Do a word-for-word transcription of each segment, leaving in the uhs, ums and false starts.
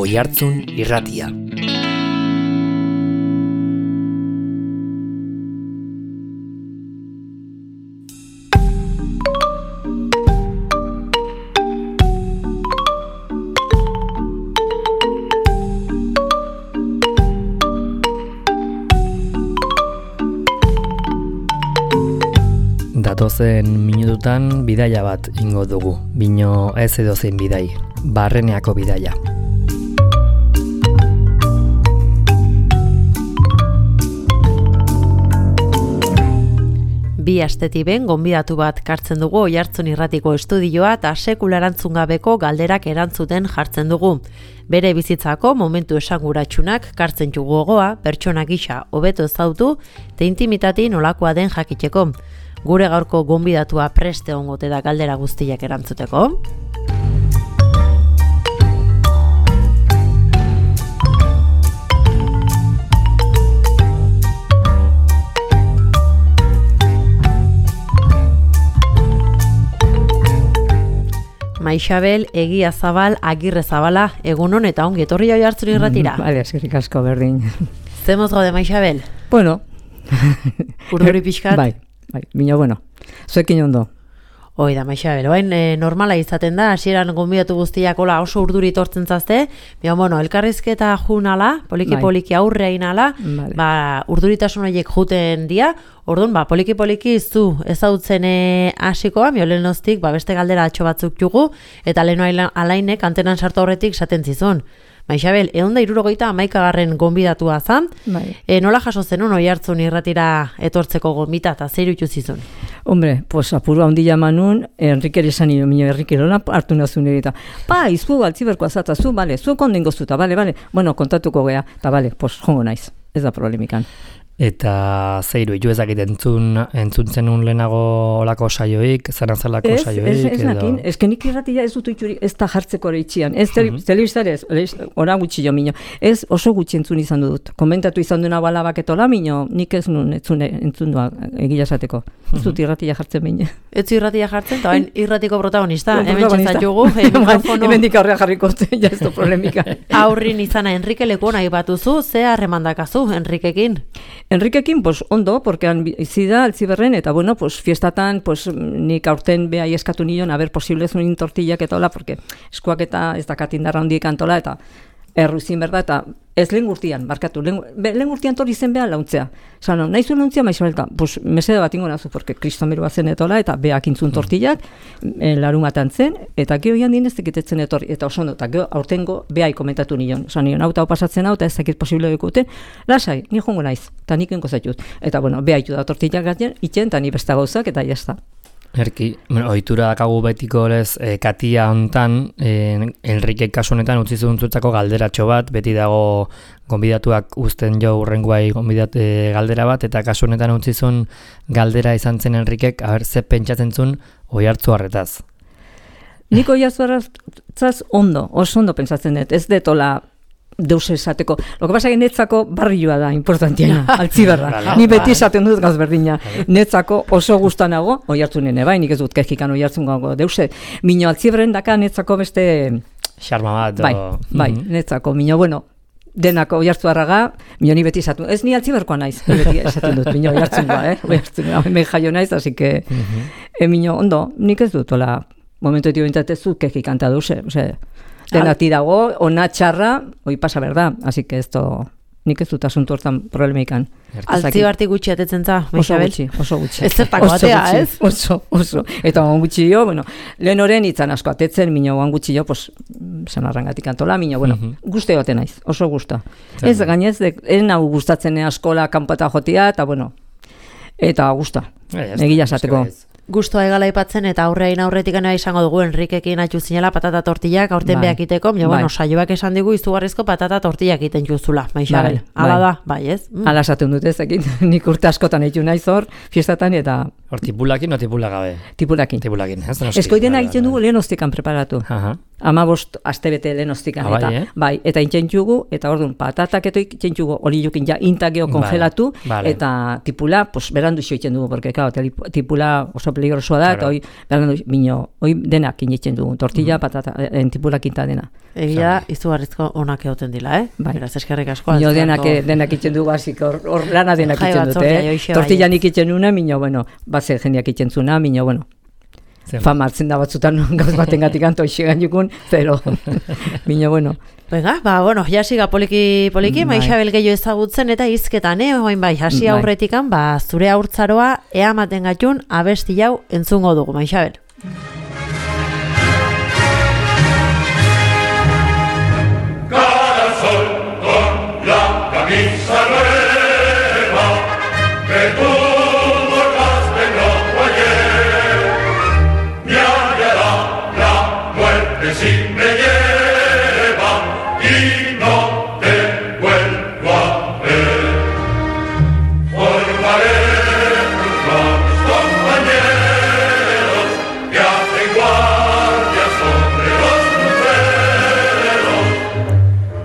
Oihartzun Irratia. Datozen minututan bidaia bat ingo dugu, bino ez edozein bidai, Barreneako bidaia. Bi astetik ben gonbidatu bat kartzen dugu Oihartzun Irratiko estudioa eta sekula erantzun gabeko galderak erantzuten jartzen dugu. Bere bizitzako momentu esanguratsunak kartzen du gogoa, pertsona gisa hobeto ezautu eta intimitati nolakoa den jakiteko. Gure gaurko gonbidatua preste ongote da galdera guztiak erantzuteko. Maixabel Egia Zabal Agirre Zabala, egunon eta ongi etorri Oihartzun Irratira. Mm, vale, eskerrik asko berdin. Zemoz gaude Maixabel? Bueno. Urduri pixkat? Bai, bai, bino bueno. Zuekin ondo. Hoi da, Maixabel, oain e, normala izaten da, hasieran gonbidatu guztiak ola oso urduri tortzen zazte, baina, bueno, elkarrizketa junala, poliki-poliki aurrea inala, vale. Ba, urduritasun horiek juten dia, orduan, ba, poliki-poliki zu ezautzen hasikoa, miolenostik, ba, beste galdera atxo batzuk jugu, eta leheno alainek antenan sartu horretik saten zizun. Maixabel, egun da irurogeita amaikagarren gonbidatua zan, bai. E, nola jaso zenun Oihartzun Irratira etortzeko gonbita eta zeiru itxuzizun? Hombre, pues apurua ondila manun, Enrique esan nio, minio Enrique lola hartu nazun egita. Pa, izku altziberkoa zata, zu, bale, zu kondengo zuta, bale, bale, bueno, kontatuko gea, eta bale, pues jongo naiz, ez da problemikan. Eta zeiru, jo ezakit entzun, entzun zenun lehenago olako saioik, zanazalako saioik. Ez, ez, ez nakin, ez kenik irratia ez dut itxuri, ez da jartzeko ere itxian, ez uh-huh. telebiztare ez, ora gutxi jo mino, ez oso gutxi entzun izan dut, komentatu izan duena balabaketola mino, nik ez nun entzun, entzun duak egila esateko, ez dut uh-huh. irratia jartzen mine. Ez du irratia jartzen, eta irratiko protagonista, hemen txezat jugu, mikrofono. Hemen dik aurrea jarriko, ja ez du problemika. Aurrin izana Enrique leku nahi batuzu, ze harremandakazu Enrikekin? Enriquekin, pues ondo, porque han bizi da Altziberren, eta bueno, pues fiestatan, pues nik aurten behai eskatu nion, a ver, posible ez unin tortillak eta hola, porque eskuak eta ez dakat indarra hondiek antola, eta erruzin berda, eta ez lehen gurtian, barkatu, lehen, lehen gurtian torri zen beha launtzea. Zano, nahi zuen launtzea, Maixabelka, pues mesede bat ingo nazu, porque kristomeroa zen etola, eta beak intzun tortillak, mm. larumatan zen, eta geho ian dien ez tekitetzen etorri, eta oso ondo, eta geho aurtengo behai komentatu nion. Osa nion, hau eta hau pasatzen hau, eta ez dakit posible dukuten, lasai, ni jongo naiz, eta nik enko zaitut. Eta bueno, behaitu da tortillak gaten, itxen, eta ni besta gauzak, eta jazta. Erki, bueno, ohitura dakagu betiko lez, e, katia hontan, e, Enrique kasu honetan utzi zuntzutzako galderatxo bat, beti dago gonbidatuak uzten jo urrengoai gonbidat e, galdera bat, eta kasu honetan utzi zuen galdera izan zen Enriquek, aber ze pentsatzen zuen Oihartzu harretaz. Nik Oihartzu harretaz ondo, oso ondo pentsatzen dut, ez detola deus esateko. Lo que pasa que netzako barrioa da importantiena, Altziberra. Ni beti esaten dut gaz berdina. Netzako oso gustanago, Oihartzunene bai, nik ez dut kejikan Oihartzun gago deuse. Mino Altziberren daka netzako beste xarma bat. Bai, bai, mm-hmm. netzako. Mino, bueno, denako Oihartzuarraga, mino ni beti esatu. Ez ni Altziberkoa naiz, beti esaten dut, mino Oihartzungoa, eh? Oihartzungoa, hemen jaio naiz, así que mm-hmm. e, mino, ondo, nik ez dut, hola, momentu etio bintatezu kejikanta deuse, ose, denati dago, ona txarra, hoi pasa berda, así que esto, nik ez dut asuntu hortan problemeikan. Altzibartik gutxi atetzen za, Maixabel? Oso gutxi, oso gutxi. Ez zertako batea, ez? Oso, oso. Eta oan gutxi jo, bueno, lehen oren itzan asko atetzen, mino oan gutxi jo, pues, zanarrangatik antola, mino, bueno, uh-huh. guzti gote naiz, oso gusta. Ez gainez, ez nahu gustatzen askola kanpota jotia, eta bueno, eta gusta, egila esateko. Gustoa egala aipatzen eta aurreain aurretik gana izango dugu Enriquekin atxu zinela patata tortillak aurten bai. Beakiteko, baina bueno, saioak esan digu izugarrizko patata tortillak egiten juzula, Maixabel. Bai. Hala da, bai, ez? Mm. Hala esaten dut ezekin, nik urte askotan eitu naiz hor, fiestatan eta... Hor tipulakin o tipula gabe? Tipulakin. Tipulakin, ez? Eskoidena egiten dugu lehen ostikan preparatu. Aha. Ama bost astebete lehen ostikan. Ah, eta, bai, eh? bai, eta intxentxugu, eta orduan patatak eto intxentxugu hori jukin ja intageo kongelatu, vale, vale. eta tipula, pues berandu xoitzen dugu, porque claro, tipula oso peligrosoa da, eta hoi, bino, hoi denak initzen dugu, tortilla, mm. patata, entipulak inta dena. Egia, izugarrizko onak egoten dila, eh? Bai. Beraz, eskerrik asko. Mino denak, denak itzen dugu, hasik, hor lana denak itzen dute, eh? Tortilla nik itzen nuna, mino, bueno, base jendeak itzen zuna, mino, bueno, fama hartzen da batzutan gauz baten gatik anto isegan jukun, pero, mino, bueno. Venga, ba, bueno, jasiga poliki, poliki, bai. Maixabel gehiago ezagutzen eta hizketan, eh? Oain bai, hasi aurretikan, ba, zure haurtzaroa ea maten gatun abesti jau entzungo dugu, Maixabel. Cada sol con la camisa nueva que tú borraste no ayer me hallará la muerte si me lleva y no te vuelvo a ver. Formaré junto a mis compañeros que hacen guardia sobre los luceros.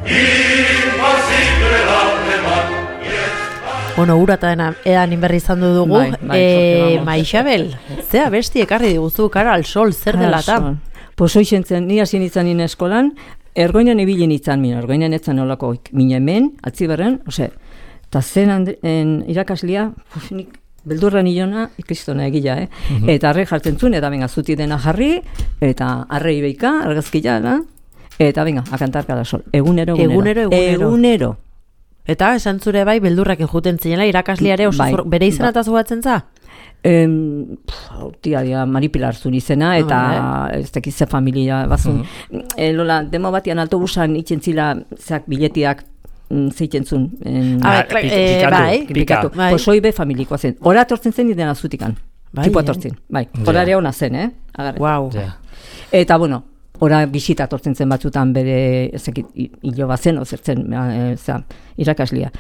Impasible la alemán y está... Bueno, urata edan inberri izan du dugu. Bai, bai, e, Maixabel, ze abesti ekarri diguzu kara al sol, zer dela eta? Pues hoi zentzen, ni hasi nintzen nien eskolan, ergoinen ibili nintzen mina, ergoinen etzen olako mina hemen, atziberren, ose, eta zen en, irakaslia, pues nik beldurra nilona, ikistona egila, eh? Mm-hmm. Eta arre jartzen zuen, eta venga, zuti dena jarri, eta arrei beika, argazkila, da, eta venga, a cantar cada sol. Egunero, egunero. Egunero, egunero. Egunero. Eta esan zure bai, beldurrak enjuten zinela, irakasliare oso bai, bere izan eta zugatzen za? Em, tia, dia, Mari Pilar zuen izena, eta oh, ez tekize familia bazun. Mm-hmm. E, lola, demo batian autobusan itzen zila, zeak biletiak zeiten zuen. Ah, eh, bai, pikatu. Bai. Pues hoi be familikoa zen. Hora atortzen zen idena zutikan. Bai, tipo atortzen. Bai, horare hona zen, eh? Agarre. Wow. Yeah. Eta, bueno, ora bisita atortzen zen batzutan bere ezekit hilo bazen, ozertzen, e, za, irakaslia.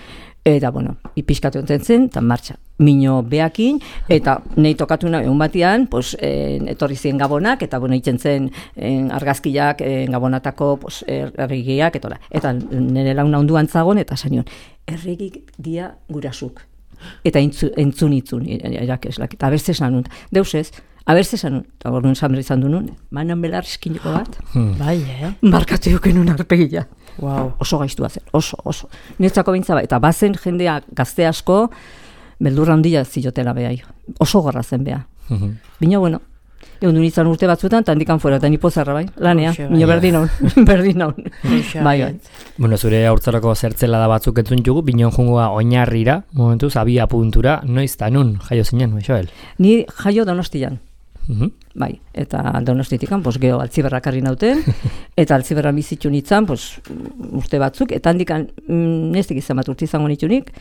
Eta, bueno, ipiskatu enten zen, eta martxa. Mino beakin, eta nahi tokatu nahi egun batian, pues, eh, etorri ziren gabonak, eta, bueno, itzen zen eh, argazkiak, eh, gabonatako, pues, erregiak, eta, eta nire launa onduan zagon, eta zanion, erregik dia gurasuk. Eta entzu, entzun itzun, irakeslak, eta abertze esan nun, deus ez, abertze esan nun, eta gornun zamre izan du nun, manan belar eskiniko bat, hmm. bai, eh? Markatu juken un arpegila. Wow. Oso gaiztua zen, oso, oso. Netzako bintza, eta bazen jendea gazte asko, beldurra handia zilotela behai. Oso gorra zen beha. Mm-hmm. Bino, bueno, egun du nintzen urte batzuetan, eta handikan fuera, eta nipo zerra bai, lanea, bino berdin hon, berdin hon. Bai, bai. Bueno, zure haurtzaroko zertzela da batzuk entzun jugu, bino jungoa oinarrira, momentuz, abia puntura, noiz da nun, jaio zinen, Maixabel? Ni jaio Donostian. Mm-hmm. Bai, eta Donostitikan, pues, geho altziberrak harri nauten, eta altziberra bizitxu nintzen, pues, urte batzuk, eta handikan, nestek izan bat urte izango nitunik,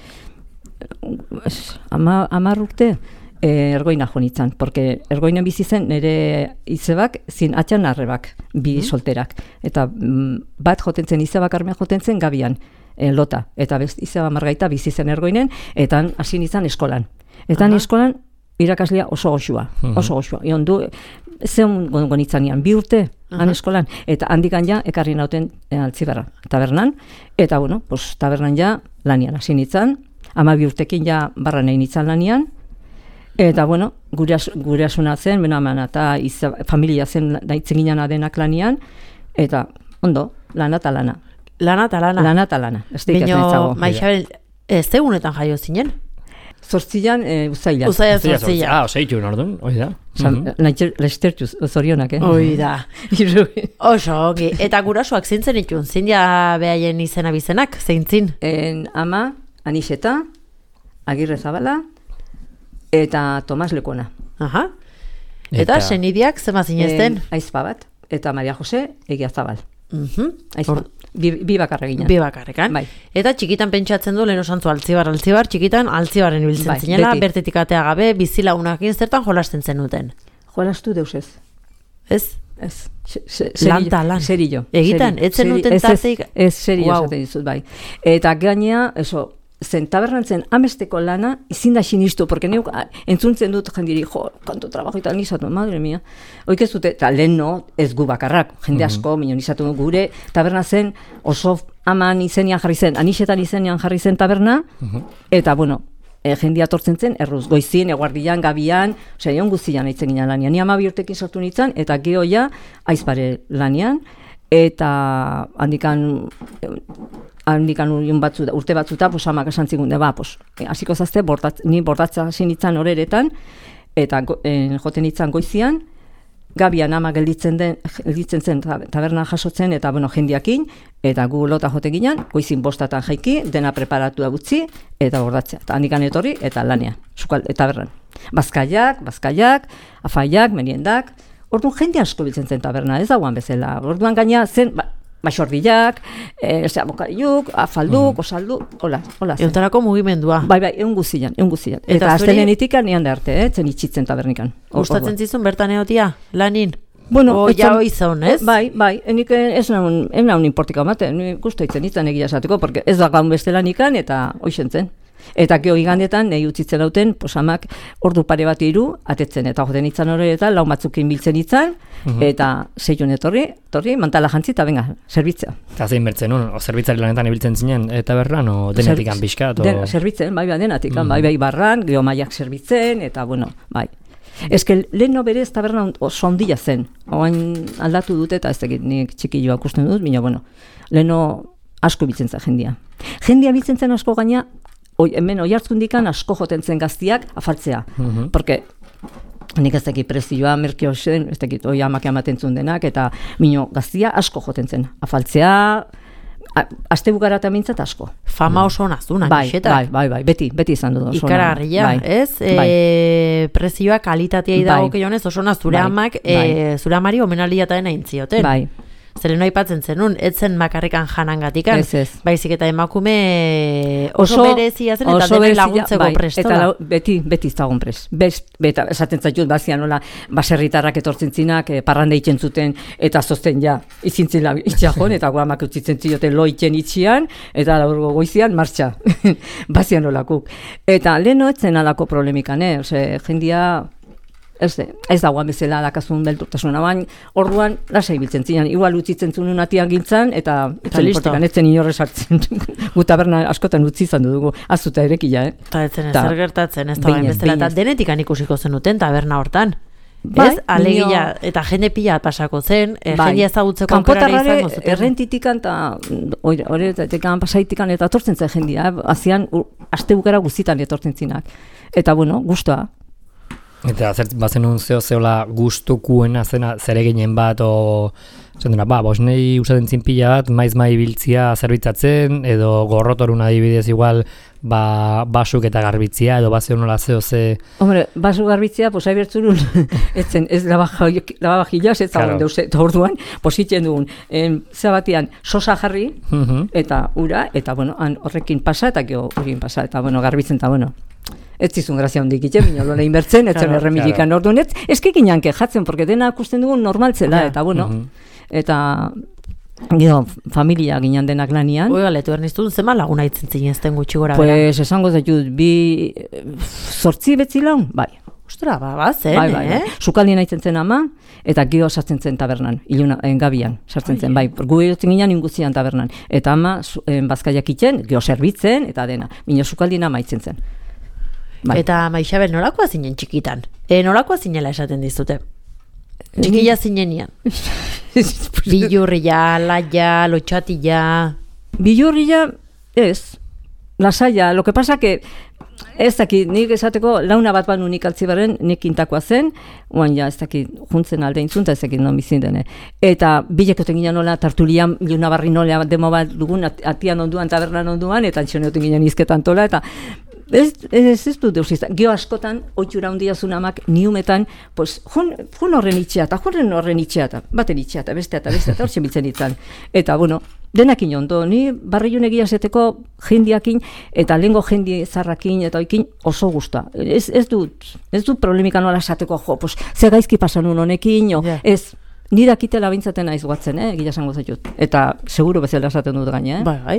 ama, amar urte, eh, ergoina jo nintzen, porque ergoinen bizi zen nire izebak, zin atxan arrebak, bi mm-hmm. solterak, eta mm, bat jotentzen, izebak armea jotentzen gabian, eh, lota, eta best, izeba margaita bizi zen ergoinen, eta hasi nintzen eskolan. Eta uh-huh. eskolan, irakaslia oso goxua, oso goxua. Ion du, zeon gonitzanean, bi urte, uh-huh. han eskolan, eta handikan ja, ekarri nauten e, altziberra, tabernan, eta bueno, pues, tabernan ja, lanian hasi nintzen, ama bi urtekin ja, barra nahi nintzen lanian, eta bueno, gure, gure asuna zen, bena eman, eta izan, familia zen daitzen ginen adenak lanian, eta ondo, lana eta lana. Lana eta lana. Lana eta lana. Bino, Maixabel, ez egunetan jaio zinen? Zortzilan, e, uzaila. Uzaila zortzila. Ah, oseitu nordun, hoi da. Lestertuz, zorionak, eh? Hoi da. Oso, ongi. Eta gurasoak zintzen itun, zindia behaien izena bizenak, zeintzin? En, ama, Aniseta, Agirre Zabala, eta Tomas Lekona. Aha. Eta, eta senidiak zema zinezten? Aizpa bat, eta Maria Jose, Egia Zabal. Uh-huh. Aizpa. Bi, bi bakarra ginen. Bi bakarrekan. Bai. Eta txikitan pentsatzen du, lehen osantzu altzibar, altzibar, txikitan altzibarren ibiltzen bai, zinela, beti. Bertetik atea gabe, bizilaunakin zertan jolasten zenuten. Jolastu deus ez. Ez? Ez. Lanta, lan. Serillo. Egitan, ez zenuten tarteik? Ez, serillo wow. Esaten dizut, bai. Eta gainea, eso, zen tabernantzen amesteko lana, izin da sinistu, porque neuk entzuntzen dut jendiri, jo, kanto trabajo eta nizatu, madre mia. Oik ez dute, eta lehen no, ez gu bakarrak, jende asko, mm-hmm. minon nizatu gure, taberna zen, oso aman izenian jarri zen, anisetan izenian jarri zen taberna, mm-hmm. eta bueno, e, jendia tortzen zen, erruz, goizien, eguardian, gabian, osea, egon guztian aitzen ginen lanian. Ni ama bi urtekin sortu nintzen, eta gehoia aizpare lanian, eta handikan, handikan batzu, urte batzuta, pues, amak esan zigunde, ba, pues, hasiko zazte, bordatz, ni bordatza hasi nintzen horeretan, eta en, joten nintzen goizian, gabian ama gelditzen den gelditzen zen taberna jasotzen eta bueno jendiakin eta gu lota jote ginen goizin bostatan jaiki dena preparatua gutxi eta bordatzea eta handikan etorri eta lanean sukal eta tabernan bazkaiak bazkaiak afaiak meriendak orduan jende asko biltzen zen taberna ez dagoan bezala orduan gaina zen ba, Baxordiak, eh, abokariuk, afalduk, mm. osaldu, hola, hola. Eutarako mugimendua. Bai, bai, egun guzian, egun guzian. Eta, eta aztenenetik nian da arte, eh, zen itxitzen tabernikan. Gustatzen zizun bertan egotia, lanin? Bueno, o ja oizan, ez? Bai, bai, enik ez naun, ez naun importika mate, guztu itzen itzen egia esateko, porque ez da gaun beste lanikan eta hoixen zen. Eta geho igandetan, nahi utzitzen dauten, posamak ordu pare bat iru, atetzen, eta joten itzan horretan, lau batzukin biltzen itzan, uh-huh. eta zeion etorri, etorri, mantala jantzi, eta venga, zerbitzea. Eta zein bertzen, no? O zerbitzari lanetan ibiltzen zinen, eta berran, o denetikan bizkat? O... Den, zerbitzen, bai, bai, denatikan, uh-huh. bai, bai, barran, geho maiak zerbitzen, eta, bueno, bai. Ez que lehen berez taberna oso ondila zen, oain aldatu dute, eta ez dakit nik txikilloa ikusten dut, baina, bueno, leheno asko biltzen zen jendia. Jendia biltzen zen asko gaina, Oi, hemen oi hartzundikan asko joten zen gaztiak afaltzea. Uh-huh. Porque nik ez dakit prezioa, merkio zen, ez dakit oi amak ematen zuen denak, eta mino gaztia asko joten zen. Afaltzea, aste bukara eta mintzat asko. Fama oso nazuna, bai, nixetak. Bai, bai, bai, beti, beti izan dut. Ikaragarria, bai, ez? Bai. E, prezioa kalitatea idago bai. keionez, oso naz, zure bai. amak, bai. e, zure amari omenalia eta dena intzioten. Bai. Zeren aipatzen zenun, etzen bakarrikan janangatikan, ez, ez. baizik eta emakume oso, oso berezia zen eta denen laguntzeko bai, presto eta lau, beti, beti izagun prest. Best, beta, esaten zaitut, bazian nola, baserritarrak etortzen zinak, eh, parrande itzen zuten, eta zozten ja, izintzin la itxajon, eta guamak utzitzen zioten lo itzen itxian, eta laurgo goizian, martxa. bazian nolakuk. Eta leheno etzen alako problemikan, eh? Ose, jendia... Ez, ez dagoan bezala dakazun belturtasuna, baina orduan lasai biltzen zinan, igual utzitzen zuen atian gintzan, eta etzen portikan etzen inorrez hartzen. Gu taberna askotan utzi izan dugu, azuta erekila, eh? Eta etzen ezer gertatzen, ez da bain bezala, eta denetikan ikusiko zenuten taberna hortan. Bai, ez, alegia, eta jende pila pasako zen, e, bai. Jende ezagutzeko aukerara izango zuten. Errentitikan eta horretatekan pasaitikan eta etortzen zen jendia, azian aste bukara guztitan etortzen zinak. Eta bueno, gustoa. Eta zer, bazen un zeo zeola gustukuena zena zereginen bat, o, zendena, ba, bosnei usaten zinpila bat, maiz mai biltzia zerbitzatzen, edo gorrotorun adibidez igual, ba, basuk eta garbitzia, edo bazen nola zeo ze... Hombre, basu garbitzia, pues, hai bertzurun, etzen, ez lababajilaz, ez zagoen deuz, eta orduan, positzen dugun, en, zabatian, sosa jarri, uh-huh. eta ura, eta, bueno, han horrekin pasa, eta geho urien pasa, eta, bueno, garbitzen, eta, bueno... Ez zizun grazia hondik itxe, bina lola inbertzen, ez zen claro, erremilikan claro. Orduan, ez, ez kekinan kejatzen, porque dena akusten dugun normaltzela, ja. Eta bueno, uh-huh. eta gero, familia ginen denak lanian. Oiga, letu erniztun, zema laguna itzen zinezten gutxi gora pues, bera? Pues, esango zaitut, bi, zortzi betzi laun, bai. Ostra, ba, ba, zen, bai, bai, eh? Bai. Sukaldien aitzen zen ama, eta gero sartzen zen tabernan, iluna, en gabian, sartzen zen, bai. Gu erotzen ginen inguzian tabernan. Eta ama, en, bazkaiak itzen, gero zerbitzen, eta dena. Mino sukaldien ama itzen zen. Bai. Eta Maixabel, nolakoa zinen txikitan? E, nolakoa zinela esaten dizute? Txikila zinenian? Bilurria, laia, lotxatila... Bilurria, ez. Lasaia, lo que pasa que... Ez dakit, nik esateko launa bat banu nik altzibarren, nik intakoa zen, oan ja, ez dakit, juntzen alde intzunta, ez dakit non bizin dene. Eta bilekoten ginen nola, tartulian, iluna barri nola demo bat dugun, atian onduan, tabernan onduan, eta antxoneoten ginen izketan tola, eta ez, ez, ez dut deus izan. Gio askotan, oitxura hundia zunamak, niumetan, pues, jun, jun horren itxea, eta jun horren itxea, eta baten itxea, eta bestea, eta bestea, eta hortzen biltzen ditzen. Eta, bueno, denakin ondo, ni barriun egia zeteko jendiakin, eta lehengo jendi zarrakin, eta oikin oso gusta. Ez, ez dut, ez dut problemika nola esateko, jo, pues, ze gaizki pasanun honekin, o, yeah. Ez, nire akitela bintzaten aiz guatzen, eh, egia esango zaitut. Eta seguro bezala esaten dut gaina, eh? Bai, bai.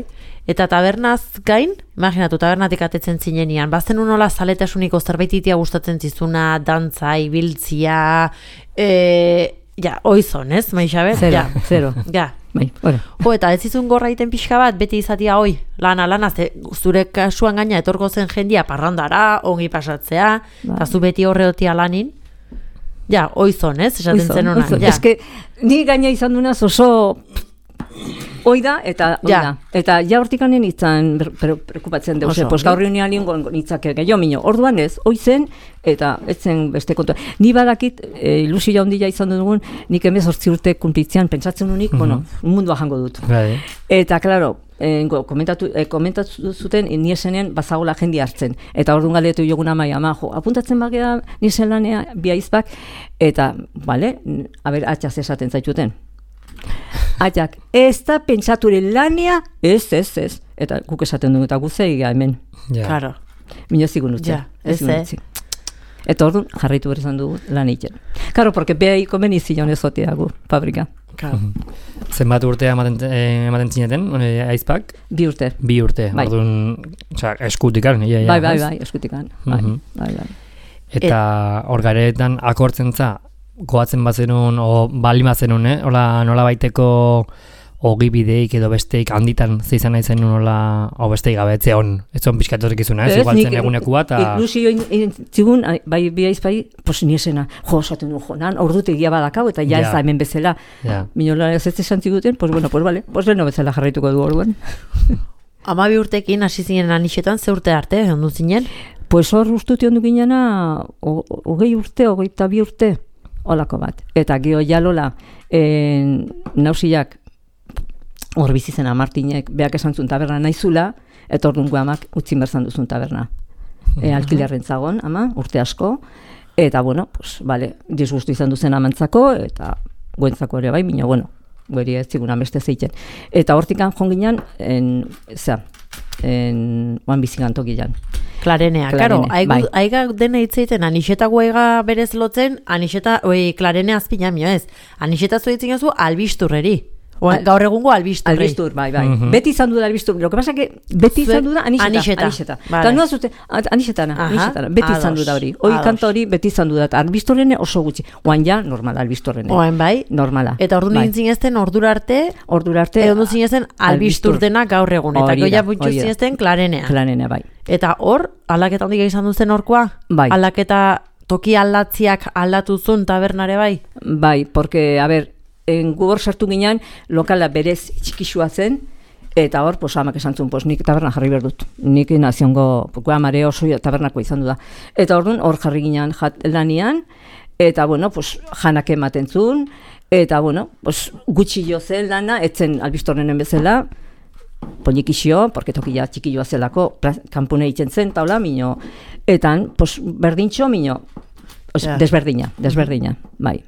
Eta tabernaz gain, imaginatu, tabernatik atetzen zinenian, bazen unola zaletasuniko zerbaititia gustatzen zizuna, dantza, ibiltzia, e, ja, oizon, ez, Maixabel? Zero, ja. zero. Ja. bai, hori. Jo, eta ez izun gorra iten pixka bat, beti izatia hoi, lana, lana, ze, zure kasuan gaina etorko zen jendia parrandara, ongi pasatzea, eta zu beti horreotia lanin, ja, oizon, ez, esaten zen honan, ja. Ez que, ni gaina izan dunaz oso hoi da, eta hoi Ja. da. Eta ja hortikanen itzan prekupatzen deuz, Oso, pues gaur reunian ingo nitzake gehiago mino. Orduan ez, hoi zen, eta ez zen beste kontu. Ni badakit, e, ilusio handia izan dugun, nik hemezortzi urte kunplitzean, pentsatzen unik, Mhm. bueno, mundua jango dut. Bai. Eta, klaro, eh, komentatu, eh, komentatu zuten ni esenean bazagola jende hartzen. Eta orduan galdetu jogun amai, ama, jo, apuntatzen bagea ni lanea bi aizpak, eta, bale, a ber, atxaz esaten zaituten. Atxak, ez da pentsaturen lanea, ez, ez, ez. Eta guk esaten dugu, eta guzei hemen. Ja. Claro. Mino zigun utzi. Ja, ez, eh? Eta orduan jarraitu berzan dugu lan egiten. Karo, porque beha komeni zion ezotea gu, fabrika. Claro. Zenbat urtea ematen, eh, ematen zineten, eh, aizpak? Bi urte. Bi urte, Bai. orduan, osea, eskutikan, ja, ja, Bai, bai, ez? bai, eskutikan. Bai, Mhm. bai, bai. Eta hor garetan akortzen za, goatzen bazenun, o bali bazenun, eh? Ola nola baiteko ogibideik edo besteik handitan zeizan nahi zenun nola, o besteik gabe, on, ez zon pixkatorik izuna, ez? Igual zen egunekua, eta... Ilusio intzigun, bai, bi aizpai, pos niesena, jo, esaten du, jo, nan, ordu tegia badakau, eta ja Ja. ez da hemen bezala. Ja. Minola ez ez esan ziguten, pues bueno, pues vale, pues leno bezala jarraituko du orduan. Amabi urtekin hasi zinen anixetan, ze urte arte, ondu zinen? Pues hor ustuti ondu ginena, hogei urte, hogeita bi urte, olako bat. Eta gio jalola, en, nausiak, hor bizizena Martinek, beak esan zuen taberna naizula, eta orduan guamak utzin berzan duzun taberna. E, alkilerren zagon, ama, urte asko, eta bueno, pues, vale, disgustu izan duzen amantzako, eta guentzako ere bai, mina, bueno, gueri ez ziguna beste zeiten. Eta hortikan jonginan, en, zera, en, oan bizigantokian. Klarenea, Klarene, karo, aigu, bai. aiga dena hitzeiten, anixeta guaiga berez lotzen, anixeta, oi, klarene azpina mio ez, anixeta zuetzen jozu albisturreri. Oa, Al- gaur egungo albisturrei. Albistur, bai, bai. Mhm. Beti izan du da albistur. Lo que pasa que beti Zuek- izan du da anixeta. anixeta, Anixeta. vale. Eta noa zute, anixetana, Aha, anixetana. Beti izan du da hori. Hoi ados. kanta hori beti izan du da. Eta albistorrene oso gutxi. Oan ja, normala albistorrene. Oain bai, Normala. eta ordu bai. nintzen ezten ordura arte, Ordura arte. edo ondu zinezten albistur dena gaur egun, eta Hori da, goia puntxu hori da. zinezten klarenea. Klanene, bai. Eta hor, aldaketa handik izan duzen horkoa? Bai. Aldaketa toki aldatziak aldatu zuen tabernare bai? Bai, porque, a ber, en gu hor sartu ginean, lokala berez txikixua zen, eta hor, pues, amak esan zuen, pues, nik taberna jarri behar dut. Nik naziongo, pues, amare oso tabernako izan du da. Eta orduan, hor jarri ginean jat lanian, eta, bueno, pues, janak ematen zuen, eta, bueno, pues, gutxi jo zen lana, etzen albistorrenen bezala, polikixio, porque tokia txikioa zelako, pla- kanpune egiten zen, taula, mino, etan, pues, berdintxo, mino, os, Ja. desberdina, desberdina, bai.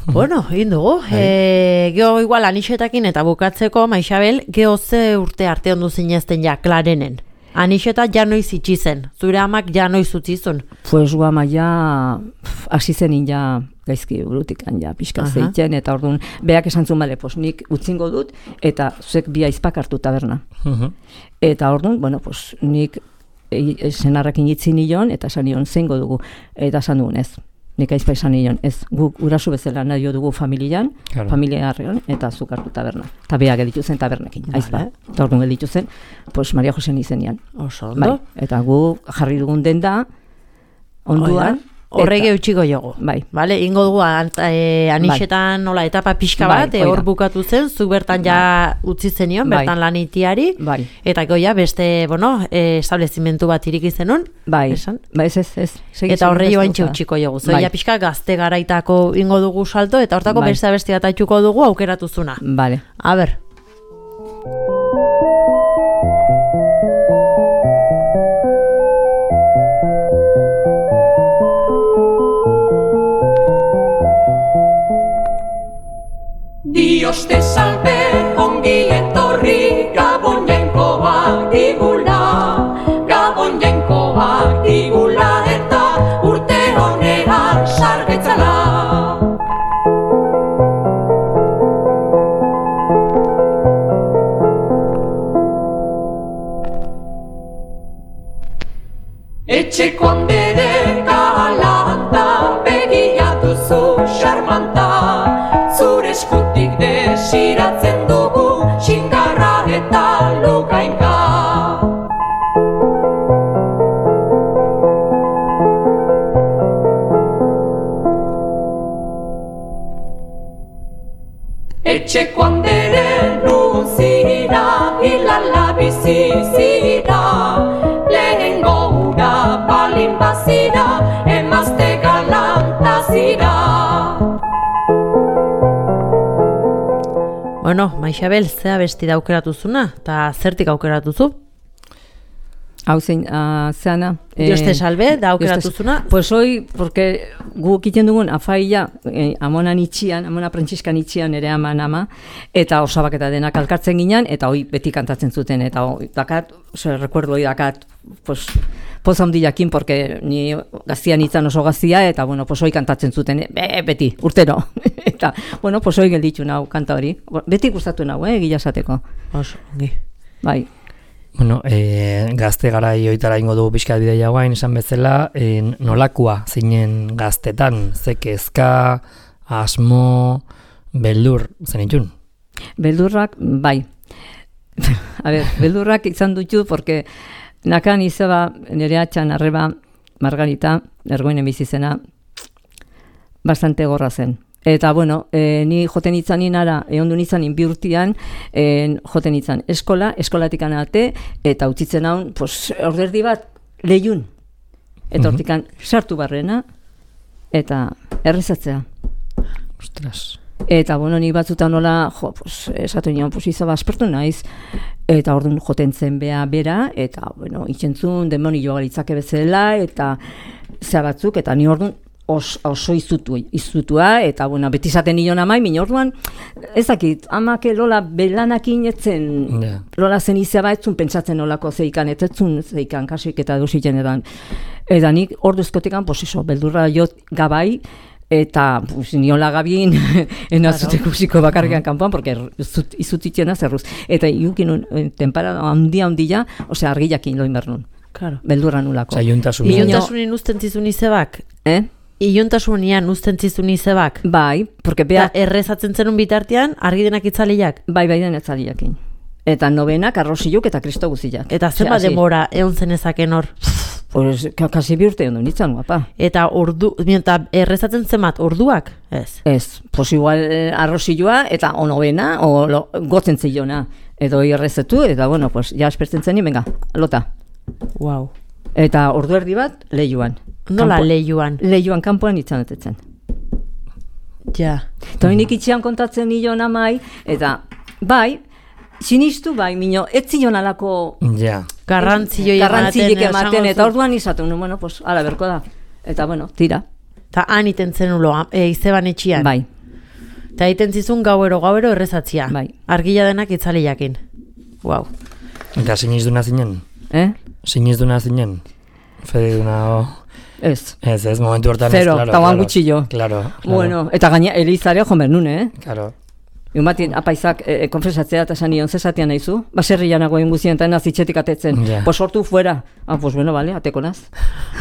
Bueno, egin dugu. E, geho igual anixetakin eta bukatzeko, Maixabel, geho ze urte arte ondu zinezten ja, klarenen. Anixeta ja noiz itxi zen, zure amak ja noiz utzizun. Pues guama ja, pf, hasi zenin ja gaizki burutikan ja pixka Aha. zeitzen, eta orduan, beak esan zuen, bale, pues nik utzingo dut, eta zuek bi aizpak hartu taberna. Mhm. Eta orduan, bueno, pues nik e, senarrakin itzi nion, eta esan nion zeingo dugu, eta esan dugun ez. Nik aizpa esan nion, ez, guk urasu bezala nahi dugu familian, Claro. familia harrean, eta zuk hartu taberna. Eta beak gelditu zen tabernekin, aizpa. Vale. Eta orduan gelditu zen, pues Maria Josen izenian. Oso Bai, ondo. eta gu jarri dugun denda, onduan, Horrege eta- utxiko jogu. Bai. Vale, ingo dugu an, e, anixetan nola etapa pixka Bai, bat, e, hori hor da. bukatu zen, zu bertan ja utzi zenion, Bai. bertan lanitiari, Bai. eta goia beste, bueno, e, establezimentu bat iriki zenun, Bai, esan? ba, ez, ez, ez. Segi, Eta segi, horre ez joan gauza. txutxiko jogu. Bai. Zoia pixka gazte garaitako ingo dugu salto, eta hortako Bai. beste abesti bat aituko dugu aukeratu zuna. Vale. A ber. Dios te salve, ongi etorri, Gabon jainkoak digula, Gabon jainkoak digula, eta urte honean sargetzala. Etxeko handere galanta, begia duzu xarmanta, zure eskutik desi gainka. Etxeko andere nun zira, hilala bizi zira, lehengo ura balin bazira, emazte galanta zira. Bueno, Maixabel, zea besti da aukeratuzuna, eta zertik aukeratuzu? Hau zein, uh, zeana. Dios te salve, da aukeratuzuna? Pues hoy, porque gu egiten dugun afaia, eh, amonan itxian, amona prentxiskan itxian ere aman ama, eta osabak eta denak alkartzen ginen, eta hoi beti kantatzen zuten, eta hoi dakat, ose, recuerdo hoi dakat, pues, poza handiakin, porque ni gaztian itzan oso gaztia, eta, bueno, pues hoi kantatzen zuten, be, beti, urtero. Eta, bueno, pues hoi gelditu nau kanta hori. Beti gustatu nau, eh, gila esateko. Oso, ongi. Bai. Bueno, e, gazte garai hoitara ingo dugu pixka bidea guain, esan bezala, e, nolakua zinen gaztetan, ze kezka, asmo, beldur, zen itxun? Beldurrak, bai. A ber, beldurrak izan dutu, porque nakan izaba nire atxan arreba Margarita, ergoinen bizizena, bastante gorra zen. Eta, bueno, e, ni joten itzan inara, egon du nitzan bi urtian, e, joten itzan eskola, eskolatik anate, eta utzitzen haun, pues, orderdi bat, lehiun. Eta hortikan sartu barrena, eta errezatzea. Ostras. Eta, bueno, ni batzutan nola, jo, pues, esatu nion, pues, izaba aspertu naiz, eta orduan joten zen bea bera, eta, bueno, itxentzun, demoni joa galitzake bezala, eta zea batzuk, eta ni orduan, Os, oso izutu, izutua, eta bueno, beti zaten nion amai, min orduan, ezakit, amake lola belanakin etzen, yeah. Lola zen izaba etzun pentsatzen nolako zeikan, etetzun zeikan, kasik eta dusiten edan. Eta nik orduzkotikan, pues eso, beldurra jot gabai, eta pues, niola gabin, enazute kusiko bakarrikan kanpoan, porque izutitena zerruz. Eta iukin tempara handia handia, osea, argiakin loin bernun. Claro. Beldurra nulako. Osa, iuntasunin. Iuntasunin usten zizun izebak? Eh? Iuntasunean usten zizun izebak? Bai, porque bea... Ta errezatzen zenun bitartean, argi denak itzaliak? Bai, bai den itzaliakin. Eta nobenak, arrosiluk eta kristo guziak. Eta zenba demora egon zenezaken hor? Pues, kasi bi urte ondo nintzen, guapa. Eta ordu, eta errezatzen zenbat, orduak? Ez. Ez, pues igual arrosilua eta o novena, o lo, gotzen zeiona. Edo errezetu, eta bueno, pues, ja espertzen zen, venga, lota. Wow. Eta ordu erdi bat, lehiuan. Nola lehiuan? Lehiuan kanpoan itzanetetzen. Ja. Eta nik itxian kontatzen nio namai, eta bai, sinistu bai, minio, ez zion alako... Ja. Garrantzioi ematen, ematen, eta orduan izatu, no, bueno, pues, ala berko da. Eta, bueno, tira. Eta han iten zen ulo, e, izeban etxian. Bai. Eta iten zizun gauero, gauero errezatzia. Bai. Argila denak itzali jakin. Wow. Eta sinizduna zinen? Eh? Sinizduna zinen? Fediduna, o... Ez. Ez, ez, momentu hortan Zero, ez, claro. Zero, eta gutxillo. Claro, claro. Bueno, eta gaina, Elizare jomer nun, eh? Claro. Egun batien, apaizak e, e, konfesatzea eta esan nion, zezatean nahizu? Baserrian nagoen guzien eta nazitxetik atetzen. Yeah. Pues sortu fuera. Ah, pues bueno, vale, ateko naz.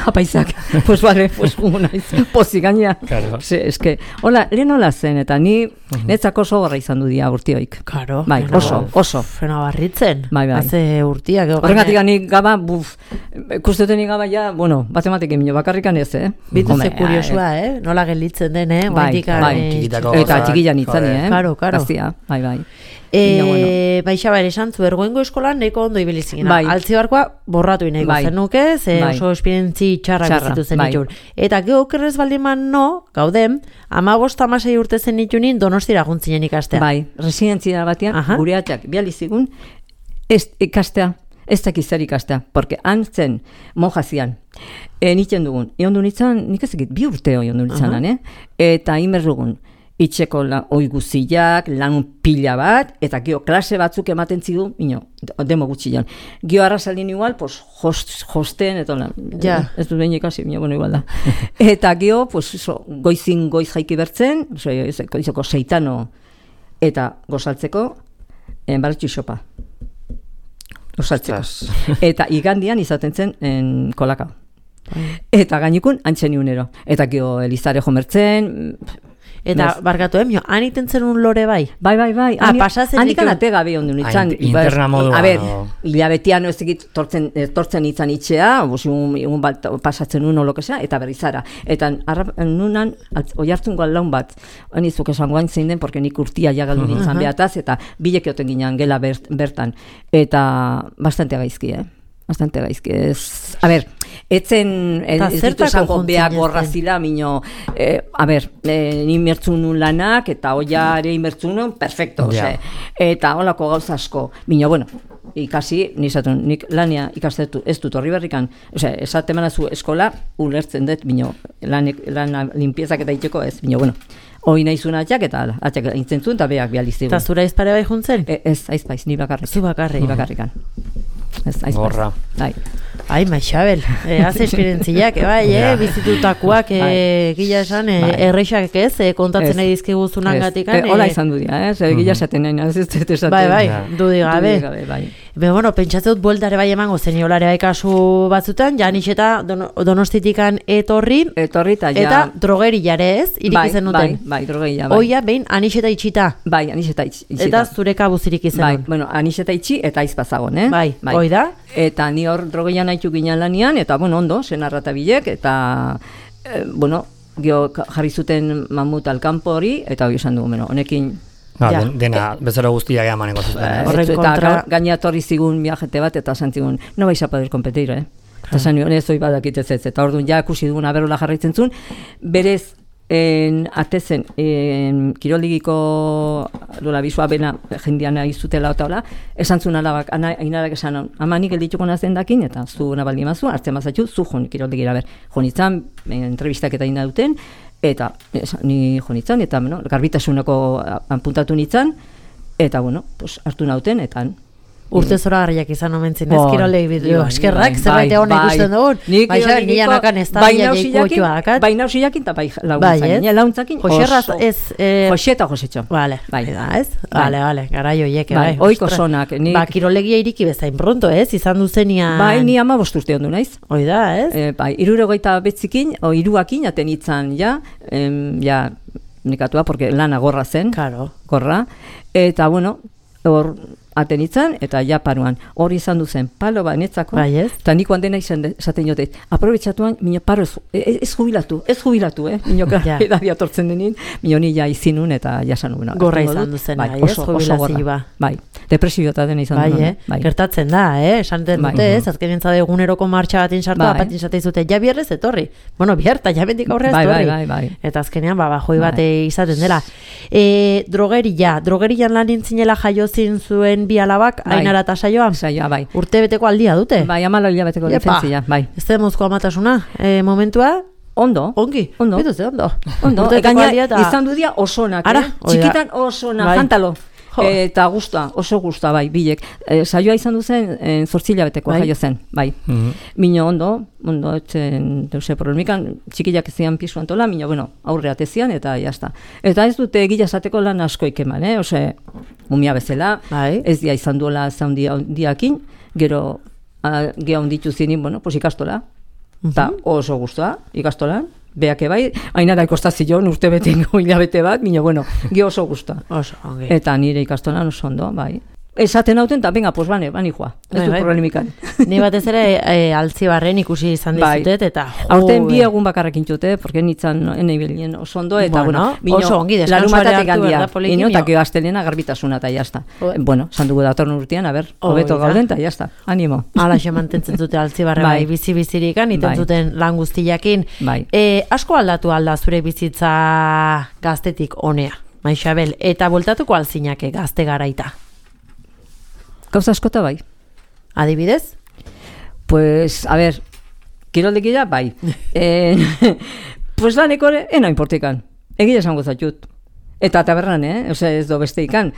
Apaizak. Pues vale, pues jugu naiz. Pozi gaina. Claro. Se, eske, hola, lehen hola zen, eta ni uh-huh. netzako oso gorra izan du dia urtioik. Claro. Bai, oso, oso. Fena barritzen. Bai, bai. Haze urtiak. Horregatik nik gaba, buf, kustetenik gaba ja, bueno, batematik emino, bakarrikan ez, eh? Bitu ze kuriosua, eh? Nola gelditzen den, eh? Bai, bai. Eta txikilan itzani, eh? Karo, karo. Gaztia, bai, bai. E, bueno. Baixa bere esan zu, ergoengo eskolan neko ondo ibilizigina. Bai. Altzibarkoa borratu ineko bai. zenuke, ze bai. oso esperientzi txarra, txarra bizitu zen bai. itxun. Eta geokerrez baldiman no, gaudem, amabost amasei urte zen itxunin Donostira guntzinen ikastea. Bai, residentzia batean, Aha. gure atxak bializigun, ez ikastea, ez dakiz zer ikastea, porque han zen, monjazian, e, nitzen dugun, egon du nitzan, nik ezekit, bi urte egon du nitzanan, eh? Eta imerrugun, itxeko la, oi guziak, lan pila bat, eta gio klase batzuk ematen zidu, ino, demo gutxian. Gio arrazalin igual, pues, host, hosten, eta lan, ja. ez dut behin ikasi, mino, bueno, igual da. Eta gio, pues, so, goizin goiz jaiki bertzen, so, goizoko seitano, eta gozaltzeko, enbaratxu xopa. Gozaltzeko. Eta igandian izaten zen en kolaka. Eta gainikun, antzen iunero. Eta gio Elizare jomertzen... Eta, barkatu, emio, han iten zenun lore bai? Bai, bai, bai. Ah, pasatzen Handikan ate gabe ondu nintzen. Interna moduan. A ber, hilabetean ez egit tortzen, tortzen nintzen itxea, egun bat pasatzen uno lokesea, eta berrizara. Eta nunan, oi hartzun laun bat, nizuk esan guain zein den, porque nik urtia jagaldu nintzen behataz, eta bilek eoten ginen gela bertan. Eta bastante gaizki, eh? Bastante gaizki. Ez, a ber, etzen, ez ditu esango beak gorra zila, mino, eh, a ber, eh, ni mertzun nun lanak, eta oiare imertzun nun, perfecto, yeah. Eta holako gauza asko, mino, bueno, ikasi, nizatun, nik lania ikastetu, ez dut horri berrikan, ose, esate manazu eskola, ulertzen dut, mino, lanek, lana limpiezak eta itxeko ez, mino, bueno, hoi nahizun atxak, eta atxak intzen zuen, eta beak bializtigun. Eta zura izpare bai juntzen? E, ez, aizpaiz, ni bakarrik. Zu bakarrik. Ni bakarrikan. Ez, aizpaiz. Bai. Ai, Maixabel, eh, az esperientziak, eh, bai, eh, bizitutakoak, eh, gila esan, eh, erreixak ez, eh, kontatzen nahi dizkigu zunangatikan. Eh, hola izan du dira, eh, zer gila esaten nahi, ez ez ez esaten. Bai, bai, dudi gabe. Bai. Be, bueno, pentsatzen dut bueltare bai emango zen olare bai kasu batzutan, ja nixeta don, donostitikan etorri, etorri eta ja... Eta drogeri jare ez, iriki zen duten. Bai, bai, drogeri ja, bai. Oia, behin, anixeta itxita. Bai, anixeta itxita. Eta zure kabuzirik izan. Bai, bueno, anixeta itxi eta aizpazagon, eh? Bai, bai. Oi da? Eta ni hor drogeian haitu ginen lanian, eta, bueno, ondo, senarra eta bilek, eta, eh, bueno, gio jarri zuten mamut alkampo hori, eta hori esan dugu, bueno, honekin... Ba, ja. Dena, bezero guztia gea maneko zuten. Horren kontra... Eta gaina torri zigun viajete bat, eta zantzigun, no vais a poder competir, eh? Eta zan nion, ez hoi badakit ez ez, eta orduan ja ikusi dugun aberola jarraitzen zuen, berez, en, atezen, en, kiroldigiko dola bizua bena jendean izutela eta hola, esan zuen alabak, ainarak esan hon, ama nik eldituko nazen dakin, eta zu nabaldi mazu, hartzen mazatxu, zu jon kiroldigira ber, jonitzan, entrevistak eta ina duten, eta esan, ni jonitzan, eta bueno, garbitasuneko apuntatu nitzan, eta bueno, pues, hartu nauten, eta urte zora garriak izan omentzen, ez kirolei bideo, eskerrak, zerbait egon ikusten dugun, baina nire nakan ez da bila jaiko dakat. Bai nausiakin eta bai launtzakin, launtzakin oso. Jose eta Josetxo. Bale, ez? Bale, bale, garai oiek, bai. Oiko sonak. Ba, kirolegia iriki bezain pronto, ez? Izan duzenian... Bai, ni ama bosturte ondu naiz. Hoi da, ez? Bai, irurogeita betzikin, o iruakin, aten itzan, ja, ja, nikatua, porque lana gorra zen, gorra, eta, bueno, hor, atenitzen, eta ja paruan. Hori izan duzen, palo ba netzako, eta niko handena izan esaten jote, aprobetsatuan, minio, paro ez, ez, ez jubilatu, ez jubilatu, eh? Minio, ja. Edadia tortzen denin, minio ni ja izinun, eta jasan nuen. Gorra izan duzen, bai, ez, jubilazio ba. Bai, depresio eta dena izan duen. Bai, bai. Gertatzen da, eh? Esan den dute, ez, azken entzade eguneroko martxa batin sartu, apatin zate izute, ja bierrez etorri. Bueno, bierta, ja bendik aurrez etorri. Bai, bai, bai. Eta azkenean, ba, bajoi bate izaten dela. E, drogeria, drogerian lan intzinela jaiozin zuen bi alabak, Ainara eta Saioa? Saioa, bai. Urte beteko aldia dute? Bai, amala hilabeteko lizentzia, bai. Ez da mozko amatasuna, e, momentua? Ondo. Ongi? Ondo. Bituz, ondo. Ondo. Gaina, izan du dia osonak, Ara, eh? Txikitan osonak, bai. Jantalo. Eta guztua, oso guztua, bai, bilek. E, saioa izan duzen, e, zortzila beteko bai. Jaio zen, bai. Mm-hmm. Mino ondo, ondo, etzen, deuse problemikan, txikilak zian pisu antola, mino, bueno, aurre atezian, eta jazta. Eta ez dute egila esateko lan asko ikeman, eh? Ose, mumia bezala, bai. Ez dia izan duela zaundiakin, gero, geha onditu zinin, bueno, pues ikastola. Eta mm-hmm. oso guztua, ikastolan. Beake bai, Ainara ikostazion urte betengo hilabete bat, mino, bueno, ge oso guztua. Oso, ongi. Eta nire ikastolan oso ondo, bai. Esaten hauten, eta venga, pues bane, bani joa. Ez du problemikan. Ni batez ere e, Altzibarren ikusi izan dizutet, eta... Aurten bi egun bakarrekin txute, porque nitzan enei bilien oso ondo, eta bueno, bueno oso ongi, deskansuare hartu behar da polikinio. Eta gio astelena garbitasuna, eta jazta. Bueno, sandugu datorn urtean, a ber, hobeto gauden, eta jazta, animo. Ala xe mantentzen zute Altzibarre bai, bizi-bizirikan, iten zuten lan guztiakin. Asko aldatu alda zure bizitza gaztetik honea, Maixabel, eta voltatuko alzinake gazte garaita. Gauza askota bai. Adibidez? Pues, a ver, kiroldekia bai. eh, pues laneko ena importikan. Egia esango zatxut. Eta tabernan, eh? Ose, ez do beste ikan.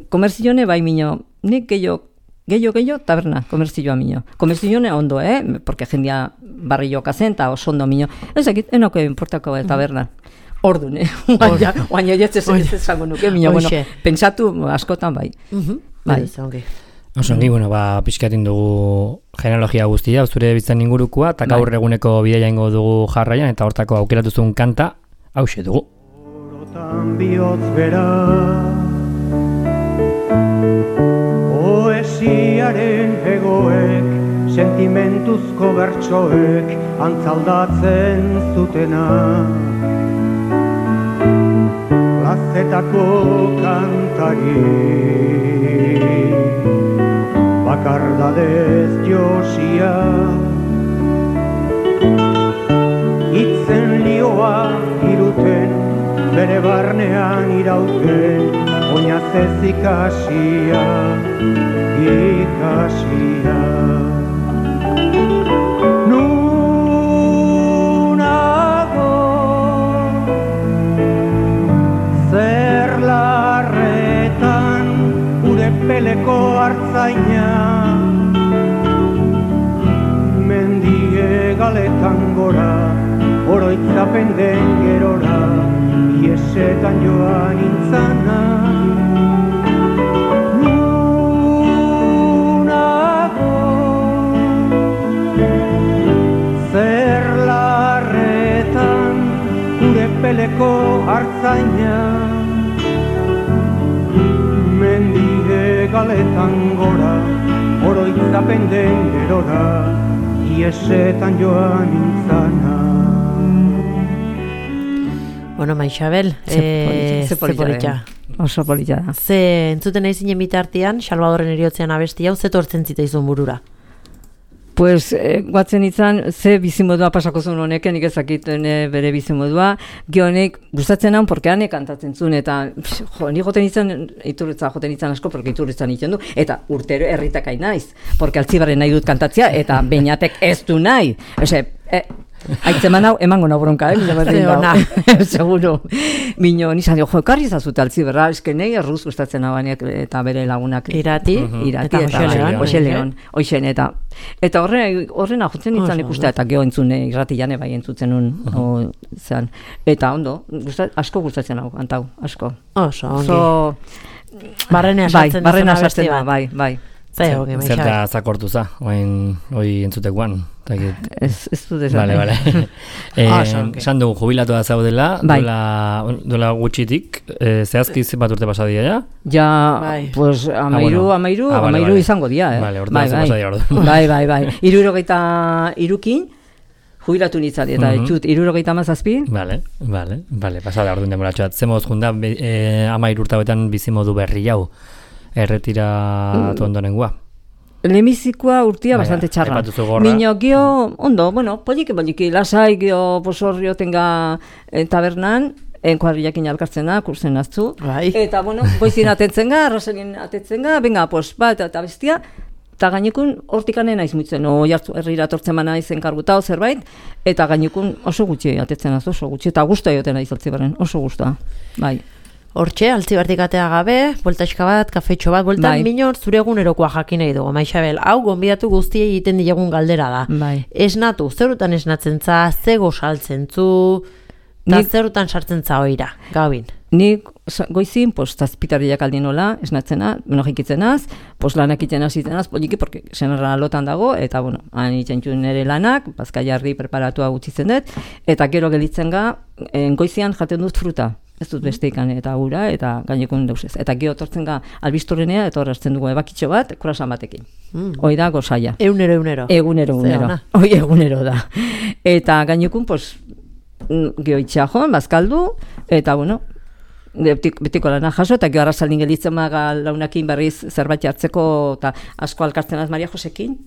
Komerzione bai mino. Nik gehiago, gehiago, gehiago, taberna. Komerzioa mino. Komerzione ondo, eh? Porque jendia barri jokazen, eta oso ondo mino. Ez ekit, enoko importako tabernan. Ordun, eh? Oain oietz ez esango nuke, mino. Bueno, pentsatu askotan bai. Bai, zongi. Oso ongi, bueno, ba, pixkatin dugu genealogia guztia, zure bitzen ingurukua, eta gaur eguneko bideia ingo dugu jarraian, eta hortako aukeratu zuen kanta, hause dugu. bihotz bera. Poesiaren egoek, sentimentuzko bertsoek, antzaldatzen zutena. Plazetako kantari, bakardadez josia. Itzen lioa iruten, bere barnean irauten, oinazez ikasia, ikasia. Nunago, zer larretan, ure peleko hartzaina, mendie galetan gora, oroitzapen den gerora, iesetan joan intzana. Nunago, zer larretan, gure peleko hartzaina, mendide galetan gora, oroitzapen den gerora, iesetan joan intzana. Bueno, Maixabel, ze politxa. Oso politxa da. Ze entzuten nahi zinen bitartean, Salvadorren eriotzean abesti hau, ze tortzen zitaizun burura? Pues, eh, guatzen izan, ze bizimodua pasako zuen honek, nik ezakiten eh, bere bizimodua, gionek gustatzen naun, porque hanek kantatzen zuen, eta jo, nik joten izan, iturritza joten izan asko, porque iturritzan iten du, eta urtero herritakai naiz, porque altzibarren nahi dut kantatzea, eta beinatek ez du nahi. Ose, eh, Aitzeman hau, emango nahi bronka, eh? Seguro. Mino, nizan dio, jo, ekarri zazute altziberra, eske nahi erruz gustatzen nabanek eta bere lagunak. Irati, Irati eta Oxe Leon, Oixen, eta eta horren horren ajutzen nintzen ikustea, eta geho entzune, irrati jane bai entzutzen nun, zean. Eta ondo, asko gustatzen hau, antau, asko. Oso, ongi. Barrenea sartzen bai, barrenea sartzen da, bai, bai. Zer da zakortu za, oin zutekoan. Ez du desan. Bale, bale. Esan dugu, jubilatu da zaudela, duela gutxitik, zehazki bat urte pasadia, ja? Ja, pues, amairu, amairu, amairu izango dia, eh? Bale, urte pasadia ordu. Bai, bai, bai. Irurogeita irukin, jubilatu nintzat, eta etxut, irurogeita mazazpi. Bale, bale, bale, pasada ordu demoratxoat. Zemoz junda, amairu urtabetan bizimodu berri jau. Erretiratu ondonengua. Lemizikoa urtia bastante txarra. Mino, gio, ondo, bueno, poliki, poliki, lasai, gio, posorrio tenga tabernan, enkuadriakin alkartzen da, kursen aztu. Eta, bueno, goizin atetzen ga, arraselin atetzen ga, venga, pues, bat eta bestia, eta gainekun hortikanen naiz muitzen, o jartu herrira tortzen mana izen kargutao zerbait, eta gainekun oso gutxi atetzen az, oso gutxi, eta guztua joten naiz altzibarren, oso guztua, bai. Hortxe, altzibartik atea gabe, bueltaxka bat, kafetxo bat, bueltan bai. Minor zure egunerokoa jakin nahi dugu, Maixabel, hau gonbidatu guztiei egiten diagun galdera da. Bai. Esnatu, zerutan esnatzen za, zego saltzen zu, eta zerutan sartzen za oira, gabin. Nik goizin, pues, zazpitarriak aldien nola, esnatzena, bueno, jikitzenaz, pues, lanak iten azitenaz, poliki, porque senarra lotan dago, eta, bueno, han itxentxun nire lanak, bazka jarri preparatua gutxitzen dut, eta gero gelitzen ga, goizian jaten dut fruta. Ez dut besteikan eta gura, eta gainekun dauzez. Eta gero tortzen ga albistorrenea, eta horrezten dugu ebakitxo bat, kurasan batekin. Mm. Hoi da gozaia. Egunero, egunero. Egunero, egunero. Hoi egunero da. Eta gainekun, pues, gero itxea joan, bazkaldu, eta, bueno, betiko lana jaso, eta gero arrazaldin gelitzen maga launakin berriz zerbait hartzeko, eta asko alkartzen az Maria Josekin,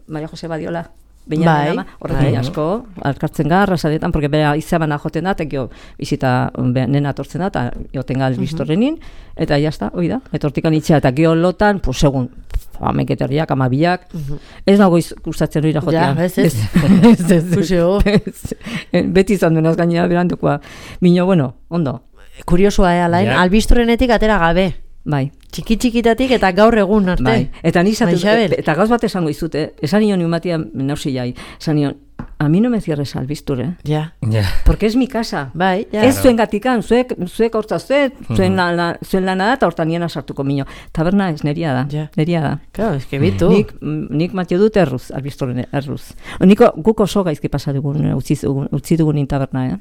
Maria Jose Badiola. Bai, horrekin asko, alkartzen ga, arrasadetan, porque bera izabana joten da, eta gio bizita nena atortzen da, eta joten ga albistorrenin, eta jazta, hoi da, eta hortikan itxea, eta gio lotan, pues segun, ameketerriak, amabiak, ez nago gustatzen hori jotean. Ja, ez, ez, ez, beti izan duenaz gainera berandukoa. Mino, bueno, ondo. Kuriosoa, eh, alain, albistorrenetik atera gabe. Bai. Txiki-txikitatik eta gaur egun arte. Bai. Eta nizatu, eta gauz bat esango izute, esan nion niumatia nausi jai, esan nion, a mi no me cierres albisture. Ja. Yeah. Porque es mi casa. Bai, ja. Ez zuen gatikan, zuek, zuek hortza zuek, zuen, mm-hmm. la, zuen lana da, eta hortan niena sartuko mino. Taberna ez, neria da. Ja. Neria da. Claro, es que bitu. Nik, nik matio dut erruz, albisture erruz. Niko, guk oso gaizki pasa dugun, utzi dugun, utzi dugun taberna, eh?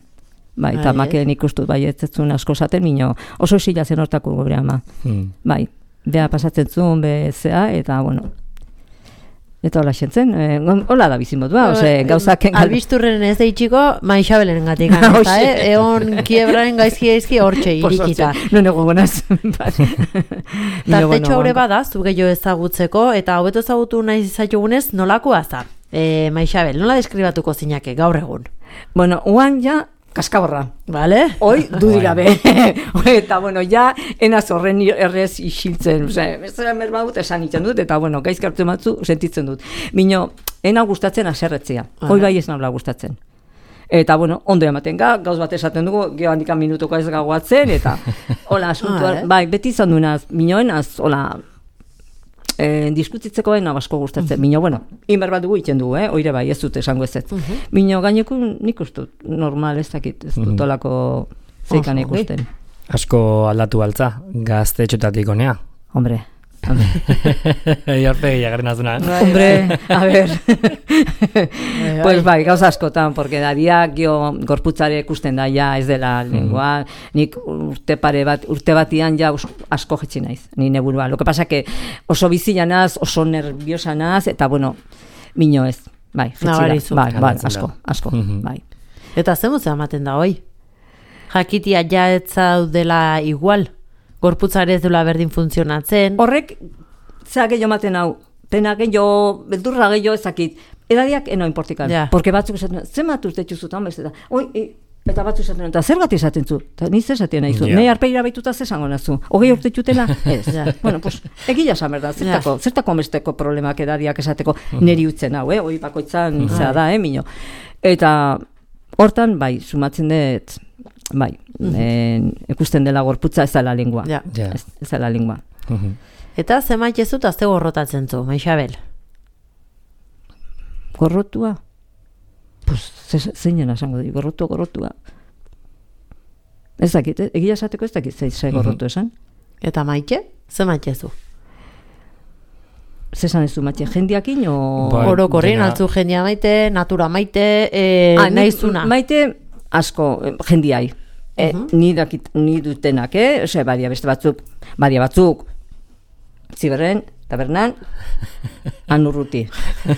Bai, eta maken ikustut bai ez zuen asko zaten, mino oso esila zen hortako gure ama. Hmm. Bai, beha pasatzen zuen, bezea, eta bueno, eta hola xentzen, eh, hola da bizimodua, ose, gauzak... Albisturren ez deitxiko, Maixabelen gatik, eta, eh? Egon kiebraren gaizki gaizki hortxe irikita. No nego gonaz. Tartetxo haure bada, zu gehiago ezagutzeko, eta hobeto ezagutu nahi zaitugunez, nolakoa za? E, Maixabel, nola deskribatuko zinake gaur egun? Bueno, uan ja, kaskaborra. Vale? Hoi, dudirabe. Eta, bueno, ja, enaz horren errez isiltzen. Ose, ez da mermadut esan itzen dut, eta, bueno, gaizka hartu matzu sentitzen dut. Mino, ena gustatzen aserretzea. Hoi bai ez nabla gustatzen. Eta, bueno, ondo ematen ga, gauz bat esaten dugu, geho handikan minutuko ez gagoatzen, eta, hola, asuntua, bai, beti izan duenaz, minoenaz, hola, Eh, diskutitzeko ena basko gustatzen. Mino, bueno, inber bat dugu iten dugu, eh? Oire bai, ez dut esango ez ez. Uh -huh. Mino, gaineko nik ustut, normal ez dakit, ez dut olako zeikan ikusten. Asko aldatu baltza, gazte etxotatik honea. Hombre, Iarpegi agarren azuna. Hombre, a ver. Pues bai, gauza askotan, porque dadia gio gorputzare ikusten da ja ez dela lengua. Nik urte pare bat, urte batian ja asko jetzi naiz, ni neburua. Lo que pasa que oso bizia naz, oso nerviosa naz, eta bueno, mino ez. Bai, jetzi da. Bai, bai, asko, asko, bai. Eta zemuz ematen da hoi? Jakitia ja ez zaudela igual? Gorputzare ez dela berdin funtzionatzen. Horrek, zera gehiago maten hau, pena gehiago, beldurra gehiago ezakit, edadiak eno importikan. Yeah. Porque batzuk esaten, zen bat urte txuzutan, beste da, oi, e, eta batzuk esaten, eta zer gati esaten zu, eta niz esaten nahi zu, yeah. Nei arpeira baituta zesango nazu, hogei urte txutela, ez. Yeah. Bueno, pues, egila esan berda, zertako, yeah. zertako besteko problemak edadiak esateko neri utzen hau, eh? Hoi bakoitzan zera da, eh, mino. Eta hortan, bai, sumatzen dut, bai, mm-hmm. ikusten dela gorputza ez dela lingua. Ja. Yeah. Ez, ez dela lingua. Mm-hmm. Eta zemait ez dut azte gorrotatzen zu, Maixabel? Gorrotua? Pues, zeinen esango di, gorrotua, gorrotua. Ez dakit, eh? Egia esateko ez dakit zei mm-hmm. gorrotu esan. Eta maite? Zemait ez du? Zesan ez du maite, jendiakin o... Ba, orokorrin, altzu jendia maite, natura maite, e, ah, nahizuna. Maite asko jendiai. E, uh-huh. ni, dakit, ni dutenak, eh? Ose, badia beste batzuk, badia batzuk, ziberren, tabernan, anurruti.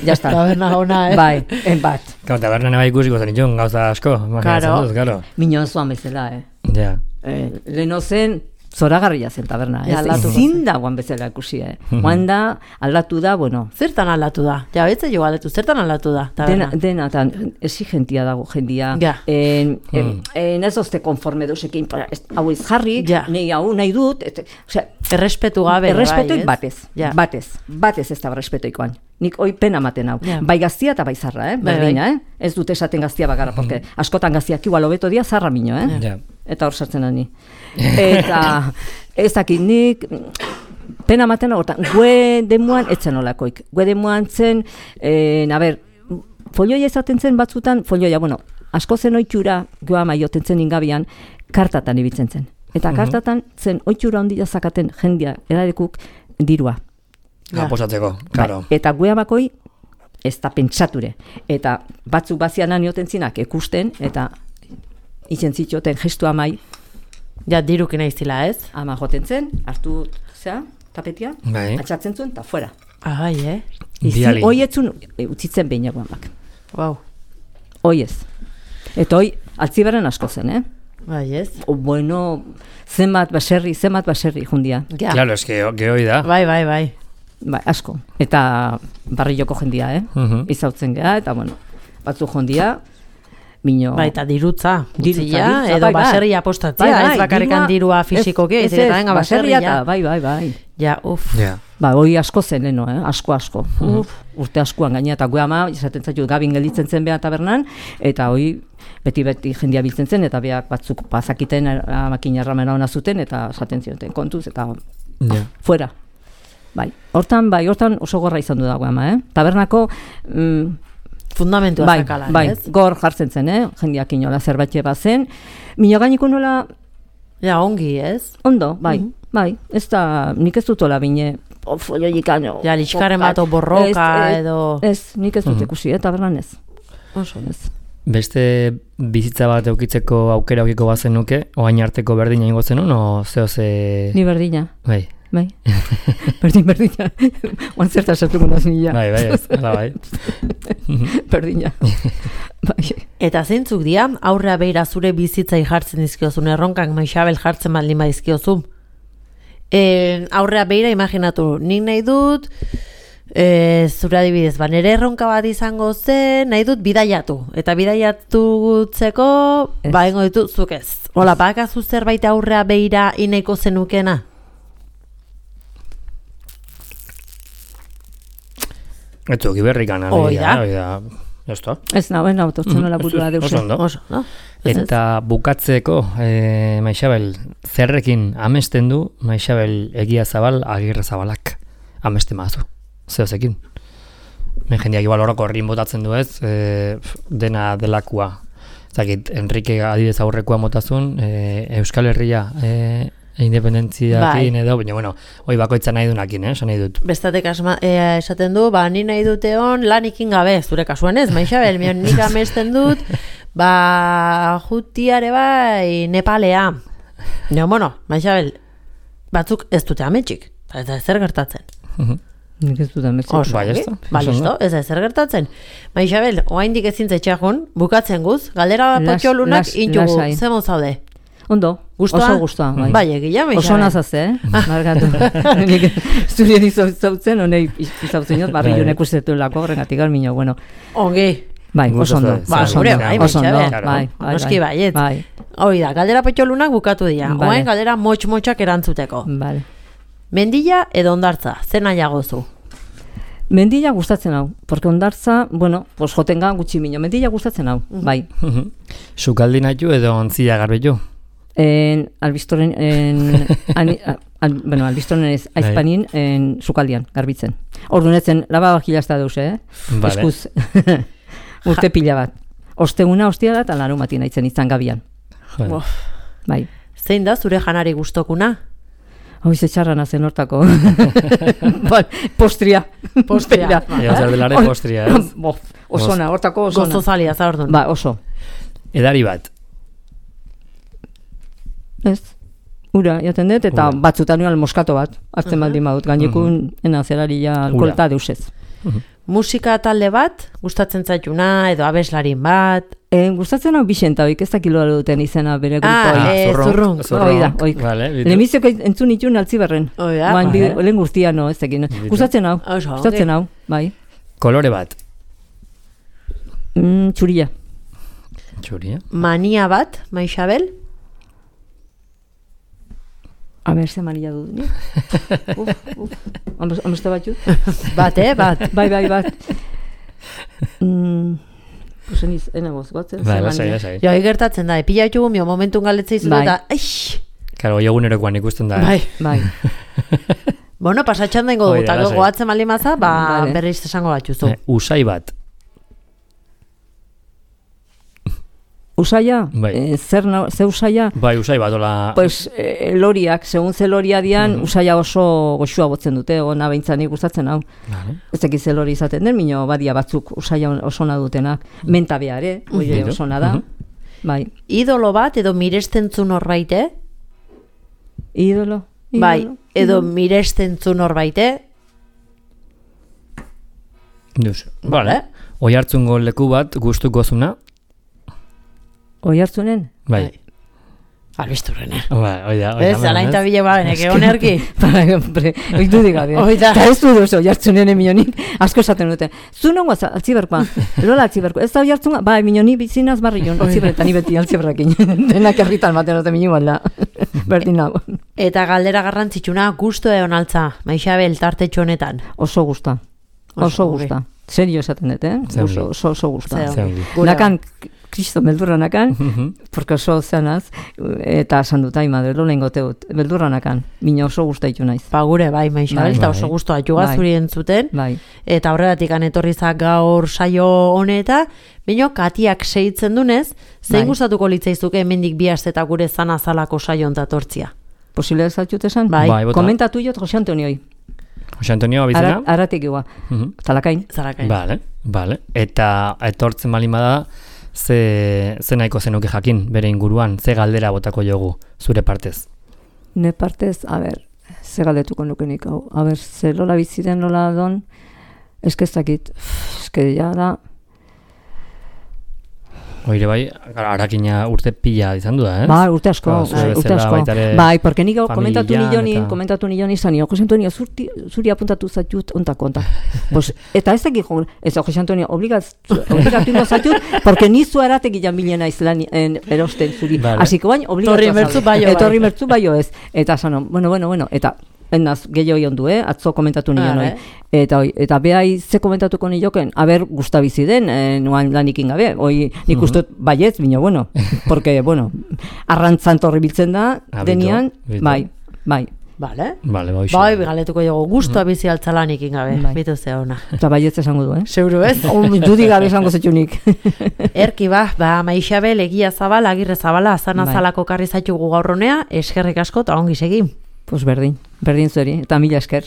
Jazta. Taberna hona, eh? Bai, en bat. Kau, tabernan eba ikusiko zen itxun, gauza asko. Karo. Claro. Minon zuan bezala, eh? Ja. Yeah. Eh, Leno zen, zoragarria zen taberna. Ja, aldatu. Ezin da guan bezala ikusi, eh? Guan da, aldatu da, bueno. Zertan aldatu da? Ja, betze jo aldatu, zertan aldatu da? Taberna? Dena, dena, tan, exigentia dago jendia. Ja. En, en, en ez ozte konforme deusekin, hau ez jarri, ja. Nei hau nahi dut, et, osea, errespetu gabe. Errespetuik bai, batez, ja. batez, batez ez da errespetuikoan. Nik hoi pena maten hau. Ja. Bai gaztia eta bai zarra, eh? Bai, Berdina, bai. eh? Ez dut esaten gaztia bakarra, porque askotan gaztiak igual hobeto dia zarra mino, eh? Ja. Eta hor sartzen da ni. Eta ez dakit nik pena maten hortan, gue demuan etzen olakoik. Gue demuan zen, eh, a ber, folioia izaten zen batzutan, folioia, bueno, asko zen oitxura, goa maioten zen ingabian, kartatan ibiltzen zen. Eta kartatan zen oitxura ondila zakaten jendia edadekuk dirua. Aposatzeko, claro. Bai, eta gue amakoi ez da pentsature. Eta batzuk bazianan ioten zinak ekusten, eta izen zitxoten gestu amai. Ja, dirukin aiztila, ez? Ama joten zen, hartu, zera, tapetia, bai. Atxatzen zuen, eta fuera. Ah, eh? Izi, hoi etzun, e, utzitzen behin eguan bak. Wow. Hoi ez. Eta hoi, altzibaren asko zen, eh? Bai, ez? O, bueno, zenbat baserri, zenbat baserri jundia. Ja. Claro, es que gehoi da. Bai, bai, bai. Bai, asko. Eta barrioko jendia, eh? Uh-huh. Izautzen geha, eta bueno, batzu jondia, mino... Bai, eta dirutza. Dirutza, Utzia, dirutza, edo bai, bai. baserria apostatzea, Bai, bai, ez bakarrikan dirua fisikoki, ez eta venga baserria. Eta, bai, bai, bai. Ja, uf. Yeah. Ba, hoi asko zen leno, eh? Asko, asko. Uf, urte askoan gaina, eta gue ama, izaten zaitu, gabin gelitzen zen beha tabernan, eta hoi beti-beti jendia biltzen zen, eta beak batzuk bazakiten amakin erramena hona zuten, eta esaten zioten kontuz, eta yeah. fuera. Bai, hortan, bai, hortan oso gorra izan du dago ama, eh? Tabernako... Mm, fundamentua bai, zakala, bai, ez? Gor jartzen zen, eh? Jendiak inola zerbait bazen. Mino gainiko nola... Ja, ongi, ez? Ondo, bai, Mhm. bai. Ez da, nik ez dutola bine... Folioikan... Ja, litxkaren bat o borroka ez, ez, edo... Ez, nik ez dut Mhm. ikusi, eh? Tabernan ez. Oso. Ez. beste bizitza bat eukitzeko aukera eukiko bazen nuke, oain arteko berdina ingo zenun, o zeo ze... Ni berdina. Bai. Bai. Berdin, berdina. Oan zerta sartuko naz nila. Bai, bai, ez. Hala, bai. Berdina. Bai. Eta zeintzuk dira, aurrea beira zure bizitzai jartzen dizkiozun, erronkak Maixabel jartzen baldin badizkiozu. E, aurrea beira imaginatu, nik nahi dut, e, zure adibidez, ba, nire erronka bat izango zen, nahi dut bidaiatu. Eta bidaiatutzeko, ba, ingo ditu, zuk ez. Hola, bakazu zerbait aurrea beira inaiko zenukena? Ez zuki berrikan, Oida. Oida. Esto. Ez nauen autotzen nola burua deuse. Oso ondo. Oso, no? Eta bukatzeko, e, Maixabel, zerrekin amesten du Maixabel Egia Zabal Agirre Zabalak ameste mazu, zeozekin. Men jendeak igual horoko horrin botatzen du ez, e, dena delakua. Zakit, Enrique adibidez aurrekoa motazun, e, Euskal Herria e, independentziakin bai. edo, baina bueno, hoi bakoitza nahi dunakin, eh, esan nahi dut. Bestatek asma, e, esaten du, ba, ni nahi dute hon lanikin gabe, zure kasuan ez, Maixabel, mion nik amesten dut, ba, jutiare bai, Nepalea. Nio, bueno, Maixabel, batzuk ez dute ametxik, eta ez zer gertatzen. Nik ez dut ametxik. Oso, Bai, ongi. ezta? Ba, Oso listo, ondo. ez da zer gertatzen. Maixabel, oaindik ezin zetxeakun, bukatzen guz, galdera Las- potxolunak las- intugu, lasai. zemo zaude. Ondo, Gustoa? oso gustoa. Bai, Bai, egia, Maixabel. Oso nazaz, eh? Margatu. Nik zurien izautzen, honei izautzen jot, barri Bai. jonek ustetu lako, horregatik almino, bueno. Ongi. Bai, oso ondo. Ba, oso gure ondo, bai, oso ondo, Maixabel. bai, bai, Noski bai. baietz. Bai, Hoi da, galdera potxolunak bukatu dira. Vale. Oain galdera motx-motxak erantzuteko. bale. Mendilla edo hondartza, zer nahiago zu? Mendilla gustatzen hau, porque ondartza, bueno, pues jotenga gutxi mino, mendilla gustatzen hau, bai. Sukaldi nahitu edo ontzia garbetu. En albistoren, en, ani, al, bueno, albistoren ez, aizpanin, en sukaldian, garbitzen. Ordunetzen, laba bakila ez da deus, eh? Vale. Eskuz, urte pila bat. Osteguna, ostia da, eta laro matin aitzen izan gabian. Joder. Bof. Bai. Zein da zure janari gustokuna? Hoi ze txarra nazen hortako. Bal, postria. Postria. Bera. Ega zer delare postria, ez? Bof, osona, hortako osona. Gozozalia, za ordun. Ba, oso. Edari bat. Ez. Ura, jaten dut, eta Ura. batzutan nioan moskato bat, hartzen baldin badut, gainekun, ena zeraria alkolta deusez. Musika talde bat, gustatzen zaituna, edo abeslarin bat. E, gustatzen hau Bixenta, oik ez dakilo duten izena bere grupo. Ah, eh, zurrunk. Hoi da, oik. Vale, bitu. Lehenbizioak entzun itun altziberren. Hoi da. Bain, Vale. bi- lehen guztia, no, ez dakin. Gustatzen hau, Oso, ongi. gustatzen hau, bai. Kolore bat. Mm, txuria. Txuria. Mania bat, Maixabel? A ber, ze mania dut, ni? Uf, uf. Amos- Amoste bat jut? Bat, eh, bat. Bai, bai, bat. Mm, pues eniz, enagoz, batzen, Bai, ze lasai, mania. lasai. Jo, gertatzen da, epila ditugu mio momentun galetzei zu Bai. eta, aix! Karo, egunerokoan ikusten da. Bai. Bai. Bueno, pasatxan dengo Hoi dugu, da, eta lasai. goatzen maldin maza, ba, Vale. berriz esango batxuzu. Eh, Usai bat. Usaia? Bai. Eh, zer, na, ze usaia? Bai, usai bat, hola... Pues eh, loriak, segun ze loria dian, usaia oso goxua botzen dute, ona behintzan nik gustatzen hau. Vale. Ez ekiz ze lori izaten den, mino badia batzuk usaia oso na dutenak. Menta beare, oie Mhm. oso na da. Mhm. Bai. Idolo bat, edo mirestentzun norbait, eh? Idolo. idolo. Bai, edo mirestentzun norbait, eh? Duz. Vale. Oi hartzungo leku bat gustuko zuna. Oi hartzunen? Bai. Albisturren, eh? Bai, oi da. oi da, Ez, alain eta ez? bile babenek, egon erki. Bai, hombre, oitu digabe. Hoi da. Eta ez du duzu, jartzunen emionik, asko esaten dute. Zu nongo altziberkoa, lola altziberkoa. Ez da jartzunga, bai, minoni bizinaz barrion, altziberretan, ni beti altziberrekin. Denak herritan maten dute minu balda. Berdin hau. Eta galdera garrantzitsuna, gusto egon altza, Maixabel, tartetxo honetan. Oso gusta. Oso Oso ongi. gusta. Serio esaten dut, eh? Ze ongi. Oso, oso, oso gusta. Ze Ze ongi. ongi. Gure Nakan, kristo, beldurra nakan, Mhm. porque oso zeanaz, eta esan dut, ai, madre, lo lehengo teut, beldurra nakan, mina oso gusta itu naiz. Ba gure, bai, Maixabel, Bai. eta Bai. oso gustoa juga Bai. zuri entzuten. Bai. Eta horregatik etorrizak gaur saio honeta, bino Katiak seitzen dunez, zein Bai. gustatuko litzaizuke hemendik bi aste eta gure zana zalako saio ontatortzia. Posible zaitzut esan? Bai. Bai, bota. Komentatu jot Jose Antonioi, Jose Antonio abizena? Ara, aratik egoa, Mhm. talakain. Zarakain. Vale, vale. Eta etortzen baldin bada, ze, ze nahiko zenuke jakin bere inguruan, ze galdera botako jogu zure partez? Ne partez, a ber, ze galdetuko nukenik hau. A ber, ze lola biziren lola don, eskezakit, eske ja da... Oire bai, Arakina urte pila izan du da, eh? Bai, urte asko, Ba, bai, urte asko. Bai, porque nik komentatu nilonin, eta... komentatu nilonin izan, Jose Antonio, zuri, zuri apuntatu zatut, ontak, ontak. Pues, eta ez dakik, ez da, Jose Antonio, obligatu ingo zatut, porque nizu aratek ilan bilena izlan erosten zuri. Vale. Así que bain, obligatu Torri mertzu baio, Torri mertzu baio ez. Eta zanon, bueno, bueno, bueno, eta Enaz, gehiago ondu, eh? Atzo komentatu nion, ah, eh? Eta, oi, eta behai ze komentatuko nioken, aber gustabizi den, eh, nuan lanikin gabe, oi, nik uste uh -huh. baietz, bino, bueno, porque, bueno, arrantzan torri biltzen da, ah, denian, bito. bai, bai. Vale. Vale, bai, bai, galetuko jogo, guztua mm. bizi altzalanikin gabe, bai. Bitu ze ona. Eta baietz esango du, eh? Seguro ez? Dudi gabe esango zetxunik. Erki ba, ba, Maixabel, Egia Zabala, Agirre Zabala, Azan Azalako bai. Karri zaitugu gaurronea, eskerrik asko, eta ongi segi. Pues berdin, berdin zueri, eta mila esker.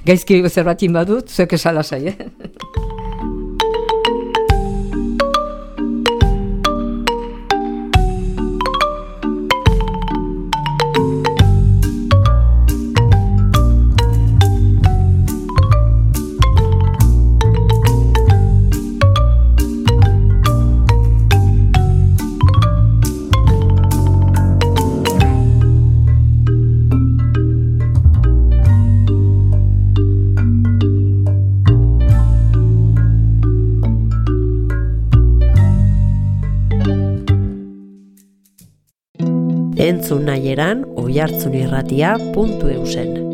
Gaizki zerbatin badut, zuek esala zai, eh? Entzun nahieran oihartzunirratia puntu eusen.